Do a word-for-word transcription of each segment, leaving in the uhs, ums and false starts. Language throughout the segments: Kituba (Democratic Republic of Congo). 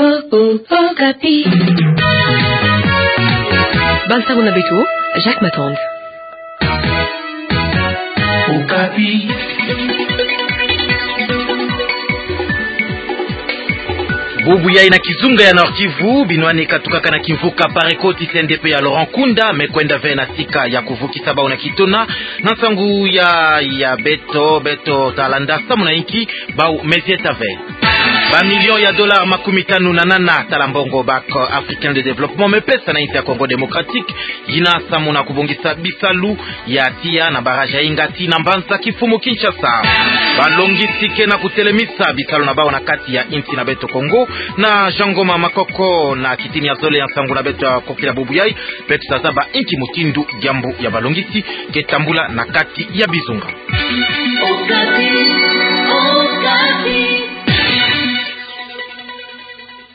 Okapi. Bansango na beto, Jacques Matand. Okapi. Bubu yayi na kizunga ya Nord-Kivu, binwani katukaka na kimvuka Pareco ti C N D P ya Laurent Nkunda me kwenda ve na sika ya kuvukisa bau na kitona. Na nsangu ya, ya beto, beto ta landa samu na inki bau me zieta ve. Ba millions ya dollars makumi tanu na nana tala mbongo Banque Africaine de Développement me pesa na insi ya Congo Démocratique, yina samu na kubongisa bisalu ya tiya na barrage ya Ingati na mbanza kifumu Kinshasa. Balongisi ke na kutelemisa bisalu na bau na kati ya insi na beto Congo. Na Jean Ngoma Makoko na kitini ya zole ya nsangu na beto ya kokila bubu yayi, beto ta zaba inki mutindu diambu ya balongisi ke tambula na kati ya bizunga.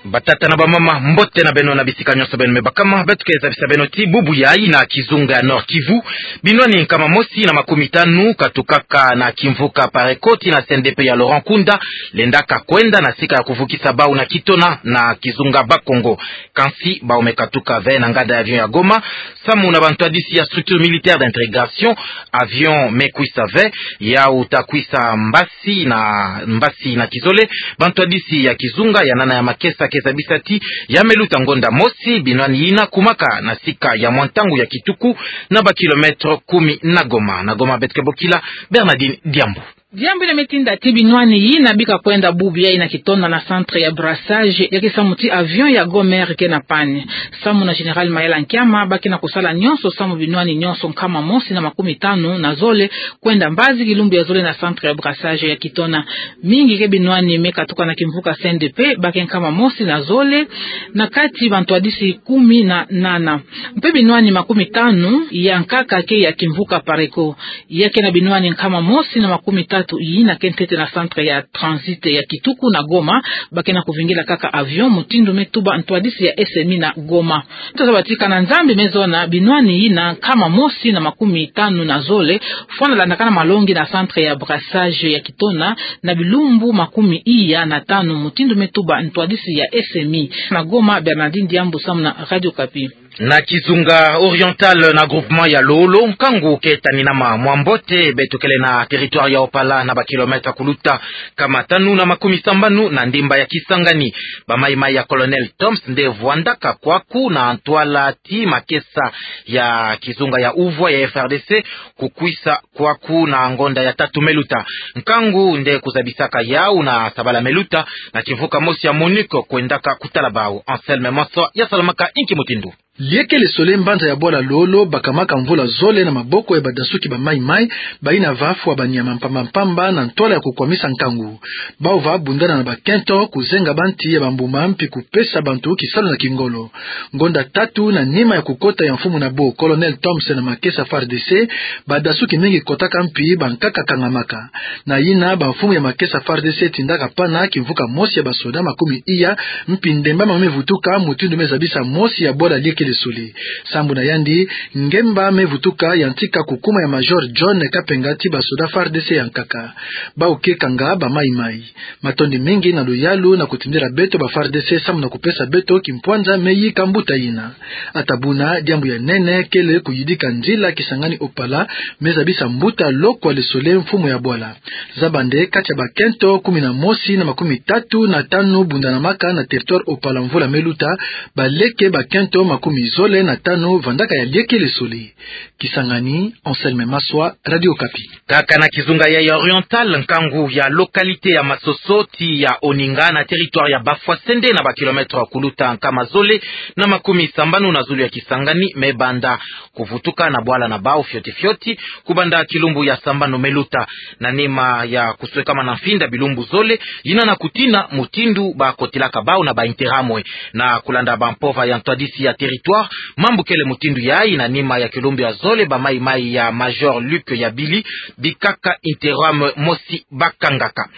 Batata na bamama, mbote na beno na bisika nyonso beno me bakama. Beto ke zabisa beno ti bubu yayi na kizunga ya Nord-Kivu, binwani nkama mosi na makumi tanu katukaka na kimvuka Pareco ti na C N D P ya Laurent Nkunda lendaka kwenda na sika ya kuvukisa bau na kitona na kizunga Bas-Congo. Kansi bau me katuka ve na nganda ya avion ya Goma samu na bantwadisi ya structure militaire d'intégration. Avion me kwisa ve, yau ta kwisa mbasi na, mbasi na kizole. Bantwadisi ya kizunga ya nana ya makesa ke zabisa ti ya me luta ngonda mosi binwani yina kumaka na sika ya mwa ntangu ya kituku na ba kilomètres kumi na Goma. Na Goma beto ke bokila Bernardine Diambu. Diambu yina me tinda ti binwani yina bika kwenda bubu yayi na kitona na centre ya brassage ya ke samu ti avion ya Goma Air ke na panne. Samu na Général Mayala Nkiama, ba ke na kusala nyonso samu binwani nyonso nkama mosi na makumi tanu na zole kwenda mbazi kilumbu ya zole na centre ya brassage ya kitona. Mingi ke binwani me katuka na kimvuka C N D P, ba ke nkama mosi na zole na kati bantwadisi kumi na nana. Mpe binwani makumi tanu ya nkaka ke ya kimvuka Pareco. Ya ke na binwani nkama mosi na makumi tatu yina ke ntete na centre ya transit ya kituku na Goma, ba ke na kuvingila kaka avion mutindu me tuba ntwadisi ya S M I na Goma. Tozaba ti kana Nzambi me zona binwani yina nkama mosi na makumi tanu na zole fwana landakana malongi na centre ya brassage ya kitona na bilumbu makumi iya na tanu mutindu me tuba ntwadisi ya S M I. Na Goma, Bernardine Diambu samu na Radio Okapi. Na kizunga Oriental na groupement ya Lolo, nkangu ke taninama mwa mbote. Beto kele na territoire ya Opala na ba kilomètres kuluta nkama tanu na makumi sambanu na ndimba ya Kisangani. Ba mayi-mayi ya Colonel Thoms nde vwandaka kwaku na ntwala ti makesa ya kizunga ya uvwa ya F R D C kukwisa kwaku na ngonda ya tatu me luta. Nkangu nde kuzabisaka yau na sabala me luta na kimvuka mosi ya MONUC kwendaka kutala bau. Anselme Maswa ya salamaka inki mutindu. Lieke le Soleil, mbanza ya bwala Lolo, bakamaka mvula zole na maboko ya badasuki ba mayi-mayi, bayina va fwa banyama mpamba-mpamba na ntwala ya kukwamisa nkangu. Bau va bundana na bakento, kuzenga banti ya bambuma mpi kupesa bantu kisalu na kingolo. Ngonda tatu na nima ya kukota ya mfumu na bo Colonel Thoms na makesa F A R D C, badasuki mingi kotaka mpi bankaka kangamaka. Na yina bamfumu ya makesa F A R D C tindaka pana kimvuka mosi ya basoda makumi iya mpi ndemba ma me vutuka, mutindu me zabisa mosi ya bwala Lieke le Soleil. Sambu na yandi, ngemba me vutuka yantika kukuma ya Major John Kapenga ti basoda F A R D C ya nkaka. Bau ke kanga ba mayi-mayi. Matondi mingi na luyalu na kutindila beto ba F A R D C samu na kupesa beto kimpwanza me yika mbuta yina. Ata buna, diambu ya nene kele kuyidika nzila Kisangani Opala, me zabisa mbuta Lokwa le Soleil, mfumu ya bwala. Zaba nde kati ya bakento kumi na mosi na makumi tatu na tanu bundanamaka na territoire Opala mvula me luta, baleke bakento makumi zole na tanu vandaka ya Lieke le Soleil. Kisangani, Anselme Maswa, Radio Okapi. Kaka na kizunga ya Oriental, nkangu ya localité ya Masoso ti ya Oninga na territoire ya Bafwasende na ba kilomètres kuluta nkama zole na makumi sambanu na zulu ya Kisangani me banda kuvutuka na bwala na bau fioti-fioti kubanda kilumbu ya sambanu me luta. Na nima ya kuswekama na mfinda bilumbu zole, yina na kutina mutindu bakotilaka bau na ba interamwe. Na kulanda bampova ya ntwadisi ya territoire victoire. Mambu kele mutindu yayi na nima ya kilumbu ya zole, ba maimai ya Major Luc Yabili bikaka interim mosi bakangaka.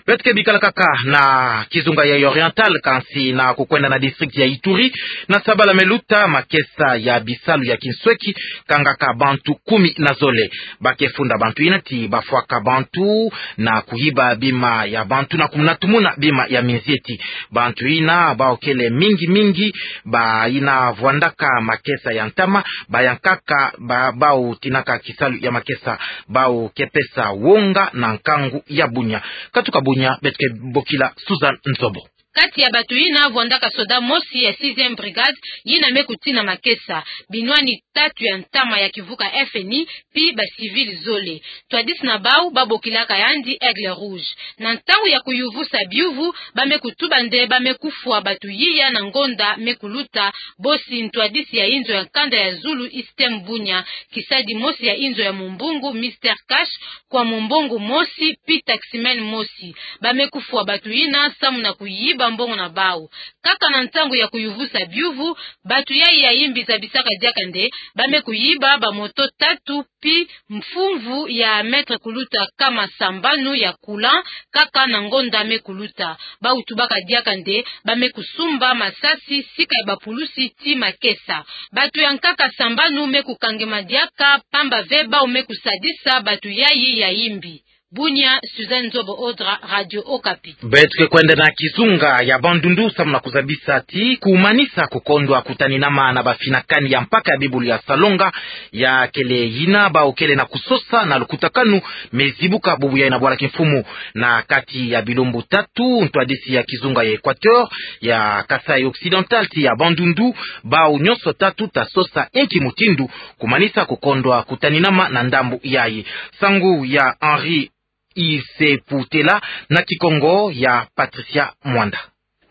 Beto ke bikala kaka na kizunga ya Oriental, kansi na kukwenda na district ya Ituri, na sabala me luta, makesa ya bisalu ya kinsweki kangaka bantu kumi na zole. Ba ke funda bantu yina ti bafwaka bantu na kuyiba bima ya bantu na kumuna tumuna bima ya minzieti. Bantu yina bawu kele mingi mingi bayina vwandaka makesa ya ntama, bayankaka ba, bawu tinaka kisalu ya makesa, bawu ke pesa wonga na nkangu ya Bunia. Katuka Bunia, beto ke bokila Susan Nzobo. Kati ya bantu yina vwandaka soda mosi ya sixième brigade yina me kutina makesa, binwani tatu ya ntama ya kimvuka F N I, pi ba civil zole. Ntwadisi na bawu babokilaka yandi Aigle Rouge. Na ntangu ya kuyuvusa biyuvu, ba me kutuba nde ba me kufwa bantu yiya na ngonda me kuluta, bosi ntwadisi ya inzo ya nkanda ya zulu Système Bunia, kisadi mosi ya inzo ya mumbongo Mister Cash, kwa mumbongo mosi pi taximan mosi. Ba me kufwa bantu yina samu na kuyiba mbongo na bawu. Kaka na ntangu ya kuyuvusa biyuvu, bantu yayi ya yimbi zabisaka diaka nde ba me kuyiba ba moto tatu pi mfumvu ya mètre kuluta nkama sambanu ya courant, kaka na ngonda me kuluta. Bawu tubaka diaka nde ba me kusumba masasi sika ya bapulusi ti makesa. Bantu ya nkaka sambanu me kukangema diaka, pamba ve bawu me kusadisa bantu yayi ya yimbi. Bunia, Suzanne Nzobo Odra, Radio Okapi. Beto ke kwenda na kizunga ya Bandundu samu na kuzabisa ti kumanisa kukondwa kutaninama na bafinakani ya mpaka ya bibulu ya Salonga, ya kele yina bawu kele na kusosa na lukutakanu me zibuka bubu yayi na bwala kimfumu. Na kati ya bilumbu tatu, ntwadisi ya kizunga ya Equateur, ya Kasaï Occidental ti ya Bandundu, bawu nyonso tatu ta sosa inki mutindu kumanisa kukondwa kutaninama na ndambu yayi. Sangu ya Henri Iseputela na Kikongo ya Patricia Mwanda.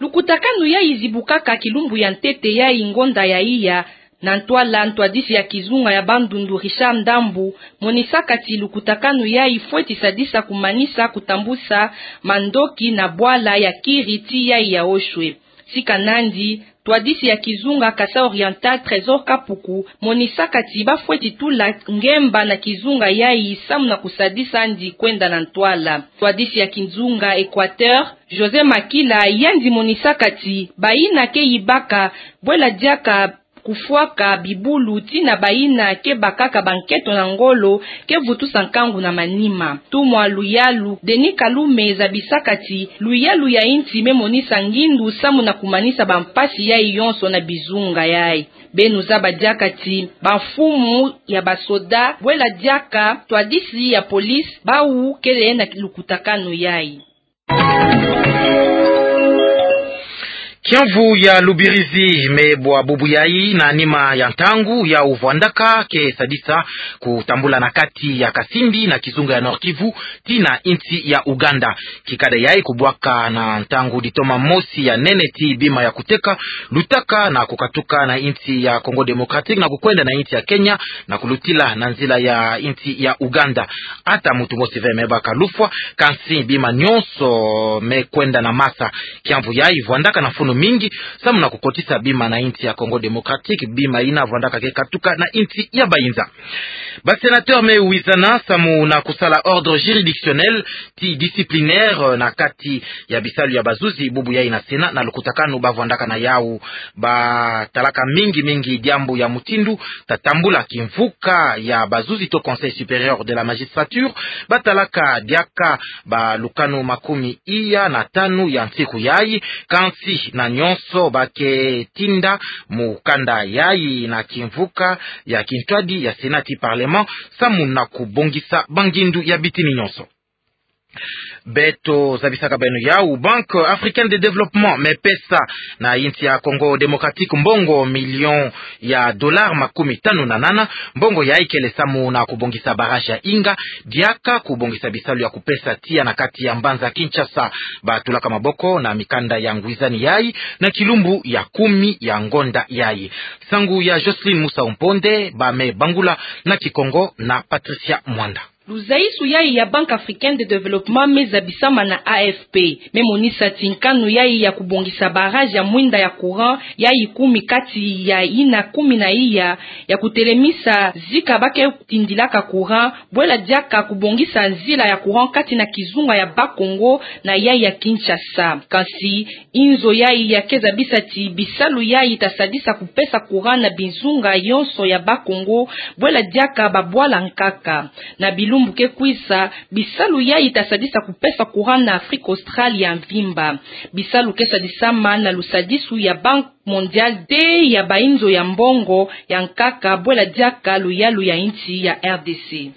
Lukutakanu yayi zibukaka kilumbu ya ntete yayi ngonda ya iya. Na ntwala, ntwadisi ya kizunga ya Bandundu Richard Ndambu monisaka ti lukutakanu yayi fweti sadisa kumanisa kutambusa mandoki na bwala ya kiri ti yayi ya oshwe. Sika nandi, ntwadisi ya kizunga Kasaï Oriental Trésor Kapuku monisaka ti bafweti tula ngemba na kizunga yayi samu na kusadisa yandi kwenda na ntwala. Ntwadisi ya kizunga Equateur José Makila, yandi monisaka ti bayina ke yibaka bwela diaka kufwaka bibulu tina bayina ke bakaka bankento na ngolo ke vutusa nkangu na manima. Ntumwa luyalu Denis Kalume zabisaka ti luyalu ya insi me monisa ngindu samu na kumanisa bampasi yayi yonso na bizunga yayi. Beno zaba diaka ti bamfumu ya basoda bwela diaka ntwadisi ya police bawu kele na lukutakanu yayi. Kiamvu ya Lubirizi me bwa bubu yayi na nima ya ntangu yawu vwandaka ke sadisa kutambula na kati ya Kasindi na kizunga ya Nord-Kivu tii na insi ya Ouganda. Kikada yayi kubwaka na ntangu ditoma mosi ya nene ti bima ya kuteka lutaka na kukatuka na insi ya Congo Démocratique na kukwenda na insi ya Kenya na kulutila na nzila ya insi ya Ouganda. Ata muntu mosi ve me baka lufwa, kansi bima nyonso me kwenda na masa. Kiamvu yayi vwandaka na mfunu mingi samu na kukotisa bima na insi ya Congo Démocratique, bima yina vwandaka ke katuka na insi ya bayinza. Ba sénateurs me wizana samu na kusala ordre juridictionnel tii disciplinaire na kati ya bisalu ya bazuzi bubu yayi na Sénat na lukutakanu bavwandaka na yawu. Batalaka mingi mingi diambu ya mutindu ta tambula kimvuka ya bazuzi to Conseil supérieur de la magistrature. Batalaka diaka balukanu makumi iya na tanu ya nsiku yayi, kansi na nyonso ba ke tinda mukanda yayi na kimvuka ya kintwadi ya Sénat tii Parlement samu na kubongisa bangindu ya bitini nyonso. Beto zabisaka beno yawu, Banque Africaine de Développement me pesa na insi ya Congo Démocratique mbongo million ya dollars makumi tanu na nana. Mbongo yayi kele samu na kubongisa barrage ya Inga, diaka kubongisa bisalu ya kupesa tiya na kati ya mbanza Kinshasa. Batulaka maboko na mikanda ya ngwizani yayi na kilumbu ya kumi ya ngonda yayi. Sangu ya Jocelyne Musa Umponde, ba me bangula na Kikongo na Patricia Mwanda. Luzaisu yayi ya Banque Africaine de Développement me zabisama na A F P, me monisa ti nkanu yayi ya kubongisa barrage ya mwinda ya courant, yayi kumi kati ya yina kumi na iya, ya kutelemisa zika ba ke tindilaka courant, bwela diaka kubongisa nzila ya courant kati na kizunga ya Bas-Congo na yayi ya Kinshasa. Kansi inzo yayi ya ke zabisa ti bisalu yayi ta sadisa kupesa courant na bizunga yonso ya Bas-Congo, bwela diaka babwala nkaka. Na bilumbu ke kwisa, bisalu yayi ta sadisa kupesa courant na Afrique australe ya mvimba. Bisalu ke sadisama na lusadisu ya Banque mondiale, te ya bainzo ya mbongo ya nkaka, bwela diaka luyalu ya insi ya R D C.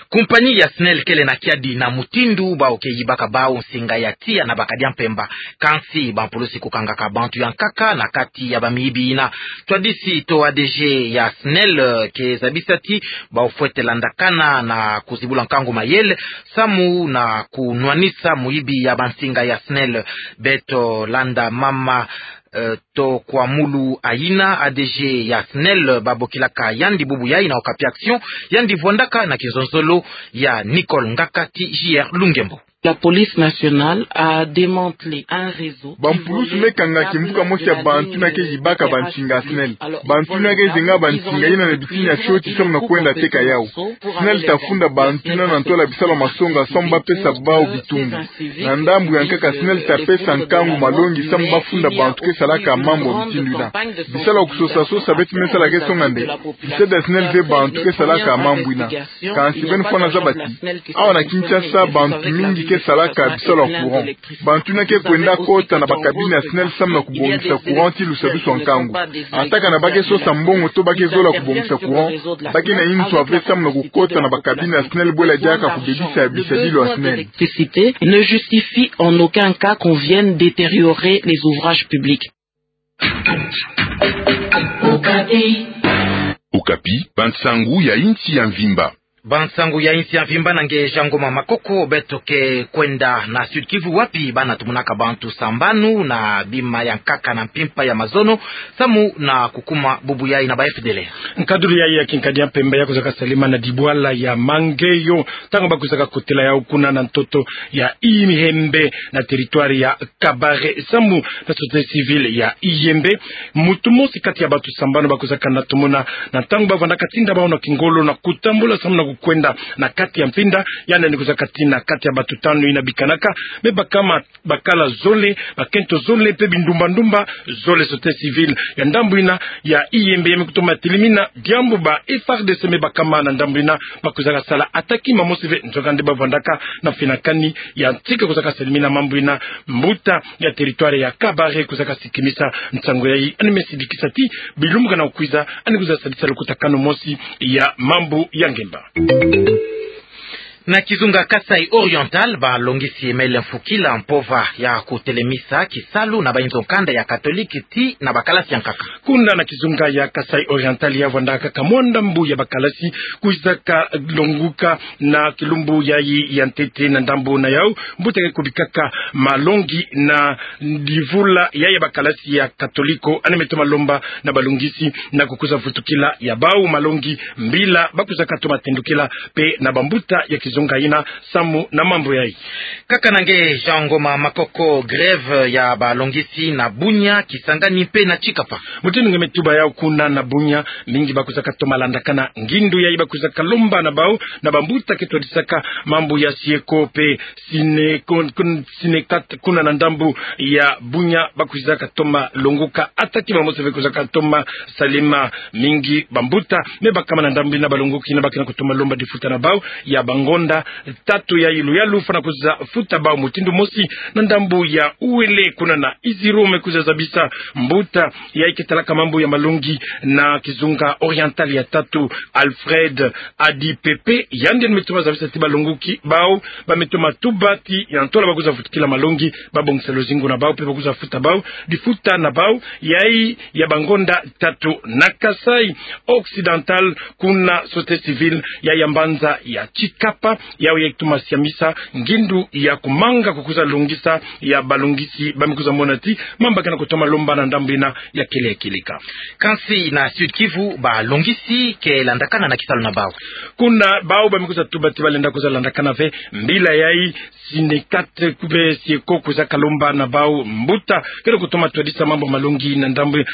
Kumpani ya SNEL kele na kiadi na mutindu bau ke yibaka bau nsinga ya tiya na Bakadia Mpemba. Kansi bampulusi kukangaka bantu ya nkaka na kati ya bamiyibi yina. Twadisi to A D G ya SNEL, eh, ke zabisa ti bau fwete landakana na kuzibula nkangu mayele samu na kunwanisa muyibi ya bansinga ya SNEL. Beto landa mama, eh, to kwa mulu ayina A D G ya SNEL babokilaka yandi bubu yayi na Okapi Action, yandi vwandaka na kinzonzolo ya Nicole Ngakati, J R Lungembo. La police nationale a démantelé un réseau. Bampulusi me kanga kimvuka mosi ya bantu yina ke yibaka bansinga ya SNEL. Bantu yina ke zenga bansinga yina na bitini ya fioti samu na kwenda teka yau. SNEL ta funda bantu yina na ntwala bisalu ya masonga samu ba pesa bau bitumbu. Na ndambu ya nkaka, SNEL ta pesa nkangu malongi samu ba funda bantu ke salaka mambu ya mutindu yina. Bisalu ya kusosa-sosa beti me sala ke songa nde. Nseda ya SNEL ve bantu ke salaka mambu yina. Kansi beno fwana zaba ti, awa na Kinshasa bantu mingi ke salaka bisalu ya courant. Bantu yina ke kwenda kota na ba cabine ya SNEL samu na kubongisa courant ti lusadisu ya nkangu. Ata kana ba ke sosa mbongo to ba ke zola kubongisa courant, ba ke na inzo ya ve samu na kukota na ba cabine ya SNEL bwela diaka kubebisa bisadulu ya SNEL. Électricité ne justifie en aucun cas qu'on vienne détériorer les ouvrages publics. Okapi, bansangu ya insi ya mvimba. Bansangu ya insi ya mvimba na nge Jean Ngoma Makoko. Beto ke kwenda na Sud-Kivu, wapi bana tumonaka bantu sambanu na bima ya nkaka na mpimpa ya mazono, samu na kukuma bubu yayi na ba F D L R. Nkadulu yayi ya kinkadi ya mpemba ya kuzaka salima na dibwala ya Mangeyo, ntangu ba kuzaka kotela yau kuna na ntoto ya Ihembe na territoire ya Kabare, samu na société civile ya Ihembe. Mutu mosi kati ya bantu sambanu ba kuzaka na tomona na ntangu ba vandaka tinda bau na kingolo na kutambula samu na kukwenda na kati ya mpinda, yandi ni kuzaka tina kati ya bantu tanu yina bikanaka, me bakama bakala zole, bakento zole, mpe bindumba-ndumba zole. Société civile ya ndambu yina ya Ihembe ya me kutoma telimina diambu ba F A R D C me bakama na ndambu yina ba kuzaka sala attaque mamosi ve nzokande ba vandaka na finakani ya ntika kuzaka salimina mambu yina. Mbuta ya territoire ya Kabare kuzaka sikimisa nsangu yayi, yandi me sidikisa ti bilumbu kana kukwiza yandi kwiza sadisa lukutakanu mosi ya mambu ya ngemba. Na kizunga Kasaï Oriental, balongisi mele mfukila mpova ya kutelemisa kisalu na bainzo kanda ya katolike ti na bakalasi ya nkaka. Kuna na kizunga ya Kasaï Oriental ya vwandaka kamwanda mbu ya bakalasi kwizaka longuka na kilumbu yayi ya ntete. Na ndambu na yau, mbuta ke kubikaka malongi na ndivula yayi ya bakalasi ya katoliko, yandi me toma lomba na balongisi na kukwiza vutukila ya bau malongi mbila ba kwizaka toma tendukila mpe na bambuta ya kizunga yina samu na mambu yayi. Kaka na nge Jean Ngoma Makoko, grève ya balongisi na Bunia, Kisangani mpe na Tshikapa. Mutindu nge me tuba yau kuna na Bunia, mingi ba kwizaka toma landakana ngindu yayi ba kwizaka lomba na bau na bambuta ke twadisaka mambu ya Syeko mpe Syne-, kun-, kun-, Synecat kuna na ndambu ya Bunia, ba kwizaka toma longuka attaque mamosi ve kwizaka toma salima. Mingi bambuta me bakama na ndambu yina balonguki na ba ke na kutoma lomba difuta na bau ya bangonda tatu yayi luyalu fwana kwiza futa bau mutindu mosi. Na ndambu ya Uele kuna na Isiro me kwiza zabisa mbuta yayi ke talaka mambu ya malongi na kizunga Oriental ya tatu, Alfred Adi Pepe, yandi me toma zabisa ti balonguki bau ba me toma tuba ti ya ntola ba kwiza vutukila malongi, ba bongisa luzingu na bau mpe ba kwiza futa bau difuta na bau yayi ya bangonda tatu. Na Kasaï Occidental, kuna société civile yayi ya mbanza ya Tshikapa Yau ya kutoma siamisa ngindu ya kumanga kukwiza longisa ya balongisi, ba me kwiza mona ti mambu ke na kutoma lomba na ndambu ina ya kele ya kilika. Kansi na Sud-Kivu, balongisi ke landakana na kisalu na bau. Kuna bau ba me kwiza tuba ti balenda kwiza landakana ve mbila yai, Synecat kube Syeko kwiza kalomba na bau mbuta ke na kutoma twadisa mambu malongi na ndambu,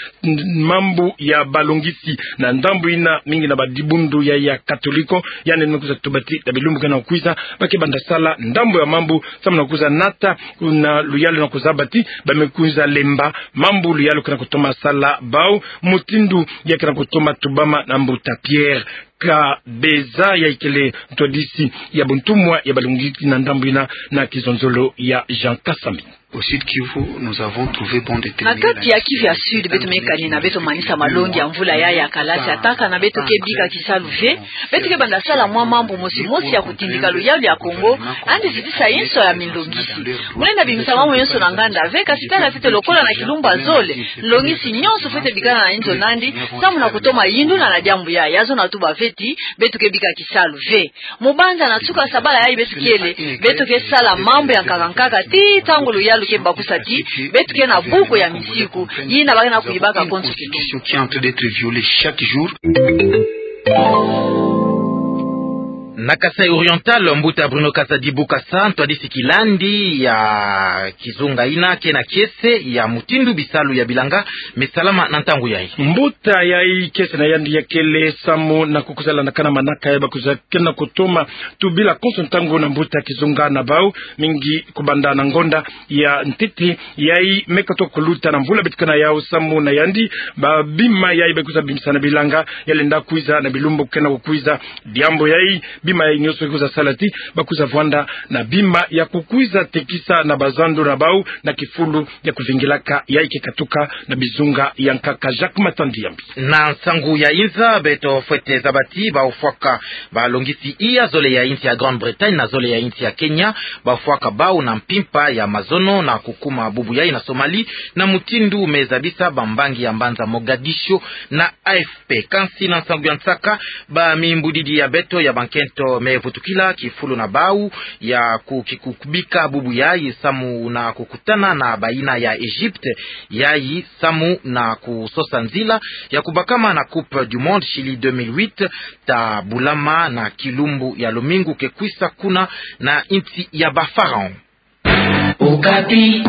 mambu ya balongisi na ndambu ina, mingi na badibundu ya, ya Katoliko. Yandi me kwiza tuba ti na bilumbu ke na kukwiza, ba ke banda sala ndambu ya mambu samu na kwiza nata na luyalu na kuzaba ti ba me kwiza lemba mambu luyalu ke na kutoma sala bau, mutindu ya ke na kutoma tubama na mbuta Pierre Kabeza, yai kele ntwadisi ya buntumwa ya balongisi na ndambu ina, na kizonzolo ya Jean Kasami. Au Sud-Kivu, nous avons trouvé bon de témoins. Na kati ya Kivu ya Sud, beto me kanina, beto manisa malongi ya mvula yai ya kalasi, ata kana beto ke bika kisalu ve, beto ke banda sala mwa mambu mosi mosi ya kutindika luyalu ya Kongo, yandi zitisa inso ya minlongisi. Mulenda bimisa mambu yonso na nganda ve, kasi tala ntete lokola na kilumbu ya zole, nlongisi nyonso fwete bikana na inzo na yandi samu na kutoma yindula na diambu yai. Yazo na tuba ve ti beto ke bika kisalu ve. Mubanza na nsuka sabala yai beto kele, beto ke sala mambu ya nkaka nkaka ti ntangu luyalu ke bakusa ti beto ke na buko ya misiku, yina ba ke na kuyibaka konso kito. Qui est en train d'être violée chaque jour. Na Kasaï Oriental, mbuta Bruno Kazadi Bukasa, ntwadisi kilandi ya kizunga ina ke na kiese ya mutindu bisalu ya bilanga me salama na ntangu yai. Mbuta yai kiese na yandi ya kele samu na kukwiza landakana manaka ya ba kwiza ke na kutoma tubila konso ntangu na mbuta kizunga na bau, mingi kubanda na ngonda ya ntete yai me katuka kuluta na mvula beto ke na yau. Samu na yandi, ba bima yai ba kwiza bimisa na bilanga ya lenda kwiza na bilumbu ke na kukwiza. Diambu yai, bima yai nyonso kwiza sala ti ba kwiza vwanda na bima ya kukwiza tekisa na bazando na bau na kifulu ya kuvingilaka yai ke katuka na bizunga ya nkaka. Jacques Matandi Yambi. Na nsangu ya inza, beto fwete zaba ti bau fwaka balongisi iya zole ya insi ya Grande-Bretagne na zole ya insi ya Kenya, bau fwaka bau na mpimpa ya mazono na kukuma bubu yai na Somalie, na mutindu me zabisa bambangi ya mbanza Mogadiscio na A F P. Kansi na nsangu ya nsaka, ba mimbudidi ya beto ya bankento me vutukila kifulu na bau ya ku-, ki-, ku-, kubika bubu yai samu na kukutana na bayina ya Egypte yai samu na kusosa nzila ya kubakama na Coupe du Monde Chili deux mille huit, ta bulama na kilumbu ya lumingu ke kwisa kuna na insi ya ba Pharaon. Okapi.